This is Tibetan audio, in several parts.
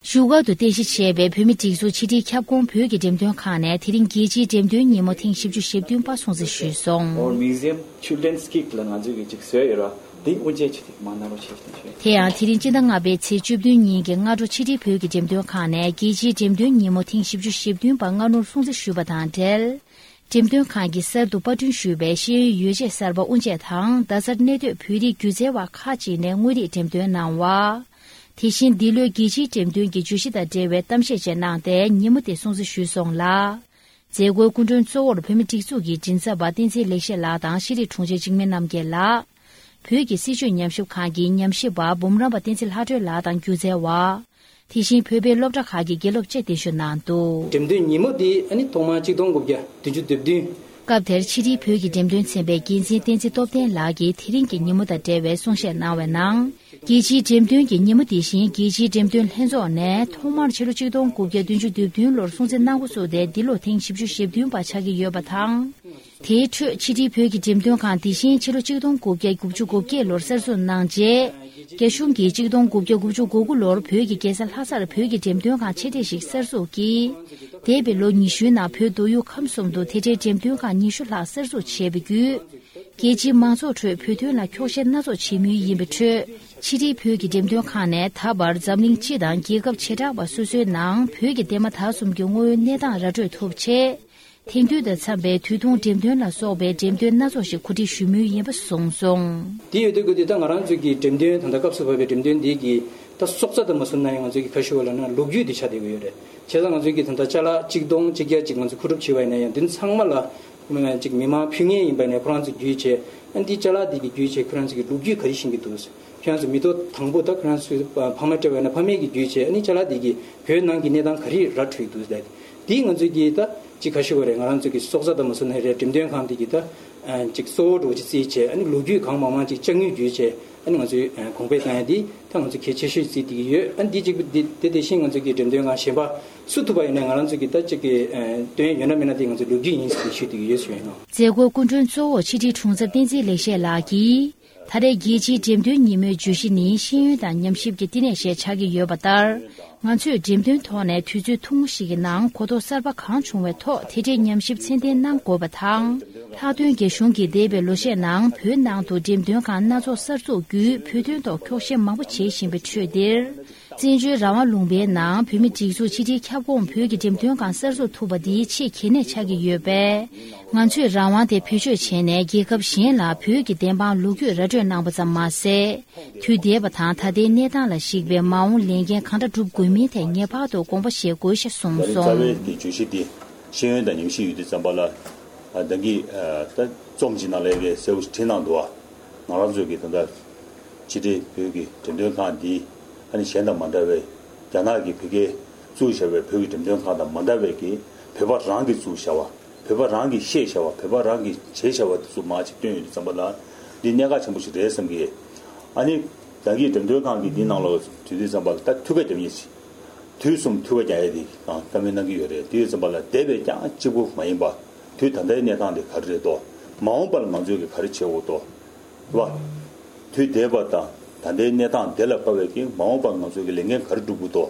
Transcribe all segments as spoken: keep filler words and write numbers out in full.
བཞུགས་སྒར་དུ་རྟེན་གཞི་བྱས་པའི་བོད་མིའི་སྒྲིག་འཛུགས་ཕྱི་དྲིལ་ཁྱབ་ཁོངས་བོད་ཀྱི་འགྲེམས་སྟོན་ཁང་ནས་དེ་རིང་རྒྱལ་སྤྱིའི་འགྲེམས་སྟོན་ཉིན་མོ་ཐེངས་བཞི་བཅུ་ཞེ་བདུན་པ་སྲུང་བརྩི་ཞུས་སོང་། Our museum children's kit ལ་ང་ཚོས་ཀྱི་ཅིག་བཟོས་ཡོད་ར། འདི་དབུ་འབྱེད་བྱེད་ཐེངས་མ་གནང་རོགས་བྱེད་ཞུ་ཞུ། དེ་ཡང་དེ་རིང་སྤྱི་ཟླ་ལྔ་པའི་ཚེས་བཅུ་བདུན་ཉིན་གྱི་སྔ་དྲོ་ཕྱི་དྲིལ་བོད་ཀྱི་འགྲེམས་སྟོན་ཁང་ནས་རྒྱལ་སྤྱིའི་འགྲེམས་སྟོན་ཉིན་མོ་ཐེངས་བཞི་བཅུ་ཞེ་བདུན་པ་སྔ་སྣུར་སྲུང་བརྩི་ཞུས་པ་དང་འབྲེལ། འགྲེམས་སྟོན་ཁང་གིས་གསར་དུ་པར་སྐྲུན་ཞུས་པའི་ཤེས་ཡོན་ཡོ་བྱད་གསར་པ་དབུ་འབྱེད་དང་རྡ་སར་གནས་སྡོད་བོད་རིགས་སྒྱུ་རྩལ་བ་ཁག་ཅིག་ནས་དངོས་རིགས་འགྲེམས་སྟོན་གནང་བ། དེ་བཞིན་འདི་ལོའི་རྒྱལ་སྤྱིའི་འགྲེམས་སྟོན་གྱི་བརྗོད་གཞི་དང་འབྲེལ་བའི་གཏམ་བཤད་བཅས་གནང་སྟེ་ཉིན་མོ་དེ་སྲུང་བརྩི་ཞུས་སོང་ལ། མཛད་སྒོའི་སྐུ་མགྲོན་གཙོ་བོར་བོད་མིའི་སྒྲིག་འཛུགས་ཀྱི་མགྲིན་ཚབ་པ་བསྟན་འཛིན་ལེགས་བཤད་ལགས་དང་ཤེས་རིག་དྲུང་ཆེ་འཇིགས་མེད་རྣམ་རྒྱལ་ལགས། བོད་ཀྱི་སྲིད་བྱུས་ཉམས་ཞིབ་ཁང་གི་ཉམས་ཞིབ་པ་འབུམ་རམས་པ་བསྟན་འཛིན་ལྷ་སྒྲོལ་ལགས་དང་སྒྱུ་རྩལ་བ། དེ་བཞིན་བོད་པའི་སློབ་གྲྭ་ཁག་གི་དགེ་སློབ་བཅས་གདན་ཞུ་གནང་འདུག་འགྲེམས་སྟོན་ཉིན་མོ་འདི་ཨ་ནི་ཐོག་མར་གཅིག་སྟོང་དགུ་བརྒྱ་བདུན་ཅུ་དོན་བདུན། སྐབས་དེར་ཕྱི་དྲིལ་བོད་ཀྱི་འགྲེམས་སྟོན་ཚན་པའི་འགན་འཛིན་བསྟན་འཛིན་སྟོབས་ལྡན་ལགས་ཀྱིས་དེ་རིང་གི་ཉིན་མོ་དང་འབྲེལ་བའི་གསུང་བཤད་གནང་བའི་ནང་། རྒྱལ་སྤྱིའི་འགྲེམས་སྟོན་གྱི་ཉིན་མོ་དེ་བཞིན་རྒྱལ་སྤྱིའི་འགྲེམས་སྟོན་ལྷན་ཚོགས་ནས་ཐོག་མར་ཕྱི་ལོ་གཅིག་སྟོང་དགུ་བརྒྱ་བདུན་ཅུ་དོན་བདུན་ལོར་སྲུང་བརྩི་གནང་འགོ་བཙུགས་ཏེ་འདི་ལོ་ཐེངས་བཞི་བཅུ་ཞེ་བདུན་པ་ཆགས་ཀྱི་ཡོད་པ་དང་། དེའི་ཁྲོད་ཕྱི་དྲིལ་བོད་ཀྱི་འགྲེམས་སྟོན་ཁང་དེ་བཞིན་ཕྱི་ལོ་གཅིག་སྟོང་དགུ་བརྒྱ་དགུ་བཅུ་གོ་བརྒྱད་ལོར་གསར་འཛུགས་གནང་རྗེས། རྒྱ་གཞུང་གིས་གཅིག་སྟོང་དགུ་བརྒྱ་དགུ་བཅུ་གོ་དགུ་ལོར་བོད་ཀྱི་རྒྱལ་ས་ལྷ་སར་བོད་ཀྱི་འགྲེམས་སྟོན་ཁང་ཆེ་གྲས་ཤིག་གསར་འཛུགས་ཀྱིས། འདས་པའི་ལོ་ཉི་ཤུའི་ནང་བོད་མདོ་དབུས་ཁམས་གསུམ་དུ་དེ་འབྲེལ་འགྲེམས་སྟོན་ཁང་ཉི་ཤུ་ལྷག་གསར་འཛུགས་བྱས་པ་བརྒྱུད། རྒྱལ་སྤྱིའི་མང་ཚོགས་ཁྲོད་བོད་དོན་ལ་འཁྱོག་བཤད་སྣ་ཚོགས་བྱེད་མུས་ཡིན་པའི་ཁྲོད། ཕྱི་དྲིལ་བོད་ཀྱི་འགྲེམས་སྟོན་ཁང་ནས་ད་བར་འཛམ་གླིང་སྤྱི་དང་རྒྱལ་ཁབ་བྱེ་བྲག་པ་སོ་སོའི་ནང་བོད་ཀྱི་འདས་མ་ད་གསུམ་གྱི་དངོས་ཡོད་གནས་སྟངས་ར་སྤྲོད་ཐུབ་ཆེད། དེང་དུས་དང་འཚམས་པའི་དུས་ཐུང་འགྲེམས་སྟོན་ལ་སོགས་པའི་འགྲེམས་སྟོན་སྣ་ཚོགས་ཤིག་གོ་སྒྲིག་ཞུ་མུས་ཡིན་པ་གསུངས་སོང་། དེ་ཡོད་དུས་ཀྱི་དུས་ད་ང་རང་ཚོའི་གི་འགྲེམས་སྟོན་ད་ལྟ་སྐབས་སུ་བབས་པའི་འགྲེམས་སྟོན་འདི་གི་ད་སྲོག་རྩ་ད་མ་སོང་ན་ཡང་ང་ཚོའི་གི་ཁ་ཤོ་བ་ལ་ན་ལོ་རྒྱུས་འདི་ཆགས་བསྡད་ཀྱི་ཡོད་རེད། བྱས་ཙང་ང་ཚོའི་གི་ད་ལྟ་ཅ་ལག་གཅིག་སྟོང་གཅིག་བརྒྱ་གཅིག་ང་ཚོ་མཁོ་སྒྲུབ་བྱས་པ་ཡིན་ན་ཡང་འདི་ཚང་མ་ལ་ཅིག་མི་མང་ཕུལ་མཁན་ཡིན་པ་ནས་ཁོ་རང་ཚོ་བརྒྱུད་བྱས་ཨ་འདི་ཅ་ལག་འདི་གི་བརྒྱུད་བྱས་ཁོ་རང་ཚོ་གི་ལོ་རྒྱུས་ག་རེ་ཤེས་ཀྱི་འདུག་ཁྱེད་རང་ཚོ་མི་ཐོག་དང་པོ་ད་ཁོ་རང་ཚོའི་ཕ་མ་སྤྲད་པ་ཡིན་ན་ཕ་མེས་ཀྱི་བརྒྱུད་བྱས་ཨ་ནི་ཅ་ལག་འདི་གི་བོད་ནང་གི་གནས་སྟངས་ག་རེ་ར་འཕྲོད་འདུག་ཟེར། དེ་ང་ཚོས་ཀྱིས་ད་ཅིག་ཁ་ཤས་ཀ་རེད། ང་རང་ཚོས་ཀྱི་སྲོག་རྩ་དང་མ་སོ་ན་རེད། འགྲེམས་སྟོན་ཁང་དེ་གི་ད་ཅིག་གཙོ་བོ་འགྲོ་ཅིག་རྩིས་བྱས་ཨ་ནི་ལོ་རྒྱུས་གང་མང་མང་ཅིག་ལྕགས་དངུལ་བརྒྱུད་བྱས་ཨ་ནི་ང་ཚོས་གོང་འཕེལ་བཏང་ཡ་དེ་ད་ང་ཚོ་གལ་ཆེ་ཤོས་རྩིས་དེ་གི་ཡོད། ཨ་ནི་དེ་གཅིག་པུ་དེ་དེ་དེ་བཞིན་ང་ཚོས་ཀྱི་འགྲེམས་སྟོན་ཁང་གཞན་པ་སུ་ཐུབ་པ་ཡིན་ན་ང་རང་ཚོས་ཀྱི་ད་ཅིག་གི་སྟོན་ཡ་ཡོད་ན་མེད་ན་དེ་ང་ཚོ་ལོ་རྒྱུས་ཡིན་ཟེར་ཞུས་དེ་གི་ཡོད་ཞུ་ཡིན་ནོ། མཛད་སྒོའི་སྐུ་མགྲོན་གཙོ་བོ་ཕྱི་དྲིལ་དྲུང་འཚབ་བསྟན་འཛིན་ལེགས་བཤད་ལགས་ཀྱིས། ད་རེས་རྒྱལ་སྤྱིའི་འགྲེམས་སྟོན་ཉིན་མོའི་བརྗོད་གཞི་ནི་ཤེས་ཡོན་དང་ཉམས་ཞིབ་ཀྱི་བསྟི་གནས་ཞེས་ཆགས་ཀྱི་ཡོད་པ་ལྟར། ང་ཚོས་འགྲེམས་སྟོན་ཐོག་ནས་དུས་ཚོད་ཐུང་ངུ་ཞིག་གི་ནང་གོ་རྟོགས་གསར་པ་གང་བྱུང་བའི་ཐོག་དེ་འབྲེལ་ཉམས་ཞིབ་ཚད་ལྡན་གནང་དགོས་པ་དང་། ལྷག་དོན་རྒྱ་གཞུང་གིས་འདས་པའི་ལོ་ཤས་ནང་བོད་ནང་དུ་འགྲེམས་སྟོན་ཁང་སྣ་ཚོགས་གསར་འཛུགས་བརྒྱུད་བོད་དོན་ཐོག་འཁྱོག་བཤད་མང་པོ་བྱེད་བཞིན་པའི་ཁྲོད་འདིར། བཙན་བྱོལ་རང་དབང་ལུང་པའི་ནང་བོད་མིའི་སྒྲིག་འཛུགས་ཕྱི་དྲིལ་ཁྱབ་ཁོངས་བོད་ཀྱི་འགྲེམས་སྟོན་ཁང་གསར་འཛུགས་ཐུབ་པ་འདི་ཆེས་གལ་གནད་ཆགས་ཀྱི་ཡོད་པས། ང་ཚོས་རང་དབང་དེ་བེད་སྤྱོད་བྱས་ནས་རྒྱལ་ཁབ་གཞན་ལ་བོད་ཀྱི་བདེན་དཔང་ལོ་རྒྱུས་ར་སྤྲོད་གནང་པ་ཙམ་མ་ཟད། དུས་འདས་པ་དང་ད་ལྟའི་གནས་སྟངས་ལ་གཞིགས་པའི་མ་འོངས་ལས་འགན་གང་འདྲ་སྒྲུབ་དགོས་མིན་ཐད་ངེས་པར་དུ་དགོངས་པ་བཞེས་དགོས་ཞེས་གསུངས་ད་རེས་རྩ་བའི་སོང་། གི་བརྗོད་གཞི་འདི་ཤེས་ཡོན་དང་ཉམས་ཞིབ་ཡོད་དུས་ཙམ་པ་ལ་ད་གིན་ད་རྩོམ་གྱི་ནང་ལས་ཀའི་གསལ་བོ་ཞིག་བྲིས་གནང་འདུག་ང་རང་ཚོའི་གི་ད་ལྟ་ཕྱི་དྲིལ་བོད་ཀྱི་འགྲེམས་སྟོན་ཁང་འདི་ཨ་ནི་གཞན་དང་མ་འདྲ་བའི་རྒྱ་ནག་གི་བོད་སྐད་བཙུགས་བཞག་པའི་བོད་ཀྱི་འགྲེམས་སྟོན་ཁང་དང་མ་འདྲ་བའི་གི་བོད་པ་རང་གིས་བཙུགས་བཞག་པ། བོད་པ་རང་གིས་བཤད་བྱ་བ། བོད་པ་རང་གིས་བྱས་བྱ་བ་དེ་ཚོ་མར་ཅིག་བཏོན་ཡོད་དུས་ཙམ་པ་ལ་འདི་གནད་འགག་ཆེན་པོ་ཞིག་རེད་བསམ་གི། ཨ་ནི་ད་གིན་འགྲེམས་སྟོན་ཁང་གི་འདི་ནང་ལོགས་དུས་དུས་ཙམ་པ་ལ་ད་ཐུགས་ཁ་རྒྱབ་མཁན་ཞིག་དུས་གསུམ་ཐུགས་ཁ་རྒྱག་ཡས་དེ་གང་བཀའ་མོལ་གནང་གི་ཡོད་རེད། དེ་ཡོད་ཙམ་པ་ལ་འདས་པའི་རྐྱང་གཅིག་པུ་མ་ཡིན་པ་དུས་ད་ལྟའི་གནས་སྟངས་དེ་ག་རེ་རེད་དོ། མ་འོངས་པ་ལ་ང་ཚོས་གི་ག་རེ་བྱེད་དགོས་དོ། རེད་བ། དུས་འདས་པ་དང་ད་ལྟའི་གནས་སྟངས་དེ་ལ་དཔག་པའི་གི་མ་འོངས་པ་ང་ཚོས་གི་ལས་འགན་ག་རེ་སྒྲུབ་དགོས་དོ།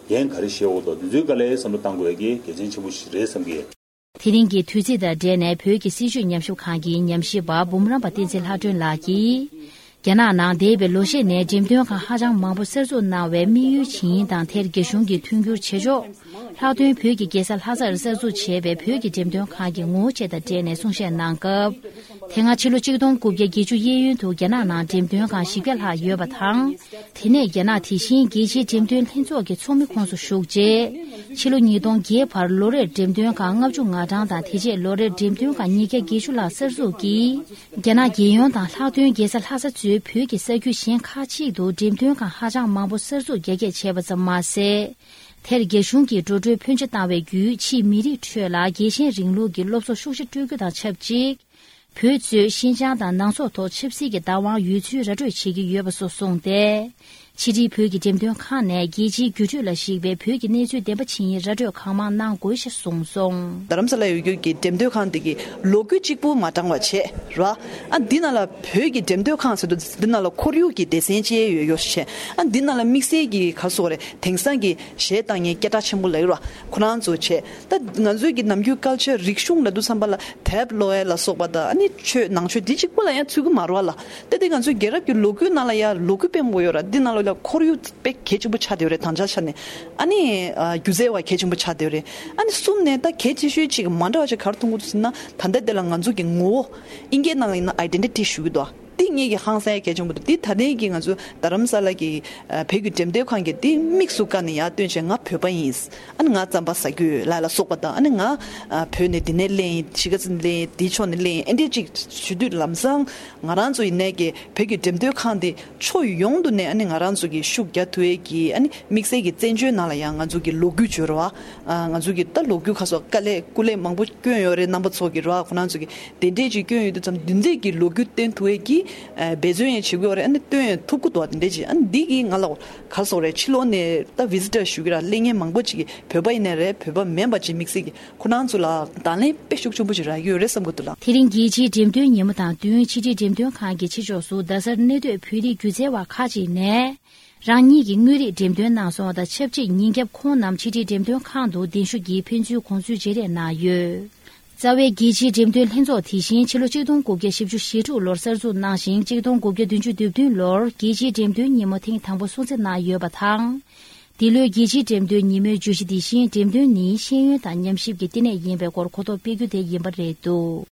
འགན་ག་རེ་བཞེས་དགོས་དོ། འདི་ཚོའི་སྒང་ལ་བསམ་བློ་གཏང་དགོས་ཡས་གི་གལ་ཆེན་ཆེན་པོ་ཞིག་རེད་བསམ་གི། དེ་རིང་གི་དུས་ཚིགས་དང་འབྲེལ་ནས་བོད་ཀྱི་སྲིད་བྱུས་ཉམས་ཞིབ་ཁང་གི་ཉམས་ཞིབ་པ་འབུམ་རམས་པ་བསྟན་འཛིན་ལྷ་སྒྲོན་ལགས་ཀྱིས། རྒྱ་ནག་ནང་འདས་པའི་ལོ་ཤས་ནས་འགྲེམས་སྟོན་ཁང་ཧ་ཅང་མང་པོ་གསར་འཛུགས་གནང་བའི་དམིགས་ཡུལ་ཇི་ཡིན་དང་དེར་རྒྱ་གཞུང་གིས་མཐུན་འགྱུར་བྱེད་ཕྱོགས། ལྷག་དོན་བོད་ཀྱི་རྒྱལ་ས་ལྷ་སར་གསར་འཛུགས་བྱས་པའི་བོད་ཀྱི་འགྲེམས་སྟོན་ཁང་གི་ངོ་བོ་བཅས་དང་འབྲེལ་ནས་གསུང་བཤད་གནང་སྐབས། དེ་སྔ་ཕྱི་ལོ་ཆིག་སྟོང་དགུ་བརྒྱ་བརྒྱད་ཅུ་གཡས་གཡོན་དུ་རྒྱ་ནག་ནང་འགྲེམས་སྟོན་ཁང་བཞི་བརྒྱ་ལྷག་ཡོད་པ་དང་། དེ་ནས་རྒྱ་ནག་དེ་བཞིན་རྒྱལ་སྤྱིའི་འགྲེམས་སྟོན་ལྷན་ཚོགས་ཀྱི་ཚོགས་མི་ཁོངས་སུ་ཞུགས་རྗེས། ཕྱི་ལོ་ཉིས་སྟོང་བརྒྱད་བར་ལོ་རེར་འགྲེམས་སྟོན་ཁང་ལྔ་བཅུ་ང་གྲངས་དང་། དེ་རྗེས་ལོ་རེར་འགྲེམས་སྟོན་ཁང་ཉིས་བརྒྱ་བརྒྱད་ཅུ་ལྷག་གསར་འཛུགས་ཀྱིས། རྒྱ་ནག་རྒྱལ་ཡོངས་དང་ལྷག་དོན་རྒྱལ་ས་ལྷ་ས་གཙོས་བོད་ཀྱི་ས་རྒྱུད་གཞན་ཁག་ཅིག་ཏུ་འགྲེམས་སྟོན་ཁང་ཧ་ཅང་མང་པོ་གསར་འཛུགས་རྒྱ་སྐྱེད་བྱས་པ་ཙམ་མ་ཟད། དེར་རྒྱ་གཞུང་གིས་འགྲོ་གྲོན་ཕོན་ཆེ་བཏང་བའི་བརྒྱུད་ཕྱིའི་མི་རིགས་ཁྲོད་ལ་རྒྱལ་ཞེན་རིང་ལུགས་ཀྱི་སློབ་གསོ་ཤུགས་ཆེ་སྤྲོད་རྒྱུ་དང་ཆབས་ཅིག་བོད་གཙོས་ཤིན་ཅང་དང་ནང་སོག་ཐོག་ཆབ་སྲིད་ཀྱི་བདག་དབང་ཡོད་ཚུལ་ར་སྤྲོད་བྱེད་ཀྱི་ཡོད་པ་སོགས་གསུངས་ཏེ། ཕྱི་དྲིལ་བོད་ཀྱི་འགྲེམས་སྟོན་ཁང་ནས་རྒྱལ་སྤྱིའི་བརྒྱུད་སྤྲོད་ལ་གཞིགས་པའི་བོད་ཀྱི་གནས་ཚུལ་བདེན་པ་ཇི་ཡིན་ར་སྤྲོད་གང་མང་གནང་དགོས་ཞེས་གསུངས་སོང་། རྡ་རམ་ས་ལ་ཡོད་རྒྱུ་གི་འགྲེམས་སྟོན་ཁང་དེ་གི་ལོ་རྒྱུས་གཅིག་པུ་མ་དྲངས་པ་བྱས་ར། ཨ་འདི་ནང་ལ་བོད་ཀྱི་འགྲེམས་སྟོན་ཁང་ཟེར་དུས་འདི་ནང་ལ་ཁོར་ཡུག་གི་སྡེ་ཚན་བཅས་ཡོད་ཡོད་བྱས། ཨ་འདི་ནང་ལ་དམིགས་བསལ་གྱི་ག་རེ་ཟེར་དགོས་རེད། དེང་སང་གི་གཞས་བཏང་མཁན་སྐད་གྲགས་ཆེན་པོ་ལ་ཡོད་ར། ཁོ་རང་ཚོ་བྱས། ད་ང་ཚོའི་གི་ནམ་རྒྱུན་ཀལ་ཆར་རིག་གཞུང་ལབ་དུས་ཙམ་པ་ལ་དེབ་ཀློག་ཡ་ལ་སོགས་པ་དང་། ཨ་ནི་ཆོས་ནང་ཆོས་འདི་གཅིག་པུ་ལ་ཡང་ཚུད་ཀྱི་མ་རེད་བ་ལ། ད་དེ་ང་ཚོའི་རྒྱལ་རབས་ཀྱི་ལོ་རྒྱུས་ནང་ལ་ཡང་ལོ་རྒྱུས་དཔེ་མང་པོ་ཡོད་ར། འདི་ནང་ལ་ཡང་ཁོར་ཡུག་དཔེ་གལ་ཆེན་པོ་ཆགས་བསྡད་ཡོད་རེད། དང་ཆ་ཆ་ནས། ཨ་ནི་ཨ་སྒྱུ་རྩལ་བ་གལ་ཆེན་པོ་ཆགས་བསྡད་ཡོད་རེད། ཨ་ནི་གསུམ་ནས་ད་གལ་ཆེ་ཤོས་གཅིག་མ་འདྲ་བ་ཞིག་ག་རེ་མཐོང་གི་འདུག་ཟེར་ན། ད་ལྟ་དེ་ལ་ང་ཚོ་གི་ངོ་བོ་ཨིན་སྐད་ནང་ལ་ཡིན་ན་ཨའི་ཌེན་ཊི་ཊི་ཞུ་གི་འདུག་འདི་ངེད་ཀྱི་ཧང་སང་ཡ་གལ་ཆེན་པོ་འདུག་འདི་ད་ལྟའི་གི་ང་ཚོ་རྡ་རམ་ས་ལ་གི་ཨ་བོད་ཀྱི་འགྲེམས་སྟོན་ཁང་གི་འདི་དམིགས་སུ་བཀར་ནས་ཡར་སྟོན་བྱས། ང་བོད་པ་ཡིན། ཨ་ནི་ང་རྩམ་པ་ཟ་རྒྱུ་ཡོད་ལ་ལ་སོགས་པ་དང་། ཨ་ནི་ང་ཨ་བོད་ནས་འདི་ནས་སླེབས་ཡིན། གཞིས་ཀ་རྩེ་ནས་སླེབས་ཡིན། འདི་ཕྱོགས་ནས་སླེབས་ཡིན། ཨེ་འདྲས་ཅིག་ཞུ་དུས་ལམ་སང་ང་རང་ཚོ་ཡིན་ནའི་གི་བོད་ཀྱི་འགྲེམས་སྟོན་ཁང་འདི་ཕྱོགས་ཡོངས་དུ་ནས་ཨ་ནི་ང་རང་ཚོ་གི་ཤུགས་རྒྱག་ཐུབ་ཡས་ཀྱི། ཨ་ནི་དམིགས་བསལ་གྱི་བཙན་བྱོལ་ནང་ལ་ཡང་ང་ཚོ་གི་ལོ་རྒྱུས་བརྗོད་ར་བ། ཨ་ང་ཚོ་གི་ད་ལོ་རྒྱུས་ཁ་སོགས་དཀའ་ལས་སྐུ་ལས་མང་པོ་བསྐྱོན་ཡོད་རེད། རྣམ་པ་ཚོ་གི་ར་བ། ཁོ་རང་ཚོ་གི་དེ་འདྲས་ཅིག་བསྐྱོན་ཡོད་དུས་ཙམ། འདི་འདྲས་ཀྱི་ལོ་རྒྱུས་སྟོན་ཐུབ་ཡས་ཀྱི་ཨ་འབད་བརྩོན་ཡང་བྱེད་དགོས་རེད། ཨ་ནི་སྟོན་ཡང་ཐུབ་ཀྱི་འདུག་དེ་འདྲས་ཅིག་ཨ་ནི་འདི་གི་ང་ལ་ག་རེ་ཟེར་དགོས་རེད། ཕྱི་ལོགས་ནས་ད་བི་ཟི་ཊར་ཞུ་གི་ར་སླེབས་མཁན་མང་པོ་ཅིག་གི་བོད་པ་ཡིན་ནའི་རེད། བོད་པ་མིན་པ་ཅིག་དམིགས་བསལ་གྱི་ཁོ་རང་ཚོ་ལ་དང་ལེན་དཔེ་ཤུགས་ཆེན་པོ་ཅིག་རག་གི་ཡོད་རེད་བསམ་གྱི་འདུག་ལགས། དེ་རིང་རྒྱལ་སྤྱིའི་འགྲེམས་སྟོན་ཉིན་མོ་དང་བསྟུན། ཕྱི་དྲིལ་འགྲེམས་སྟོན་ཁང་གི་ཕྱི་ཕྱོགས་སུ་རྡ་སར་གནས་སྡོད་བོད་རིགས་སྒྱུ་རྩལ་བ་ཁག་ཅིག་ནས་རང་ཉིད་ཀྱི་དངོས་རིགས་འགྲེམས་སྟོན་གནང་སོང་བ་དང་ཆབས་ཅིག། ཉིན་རྒྱབ་ཁོང་རྣམས་ཕྱི་དྲིལ་འགྲེམས་སྟོན་ཁང་དུ་གདན་ཞུ་གྱིས་ཕན་ཚུན་དགོངས་ཚུལ་བརྗེ་རེས་གནང་ཡོད། རྩ་བའི་རྒྱལ་སྤྱིའི་འགྲེམས་སྟོན་ལྷན་ཚོགས་དེ་བཞིན་ཕྱི་ལོ་ཆིག་སྟོང་དགུ་བརྒྱ་བཞི་བཅུ་ཞེ་དྲུག་ལོར་གསར་འཛུགས་གནང་ཞིང་། ཆིག་སྟོང་དགུ་བརྒྱ་བདུན་ཅུ་དོན་བདུན་ལོར་རྒྱལ་སྤྱིའི་འགྲེམས་སྟོན་ཉིན་མོ་ཐེངས་དང་པོ་སྲུང་བརྩི་གནང་ཡོད་པ་དང་། འདི་ལོའི་རྒྱལ་སྤྱིའི་འགྲེམས་སྟོན་ཉིན་མོའི་བརྗོད་གཞི་དེ་བཞིན་འགྲེམས་སྟོན་ནི་ཤེས་ཡོན་དང་ཉམས་ཞིབ་ཀྱི་བསྟི་གནས་ཡིན་པའི་སྐོར་གོ་རྟོགས་སྤེལ་རྒྱུ་དེ་ཡིན་པ་རེད་འདུག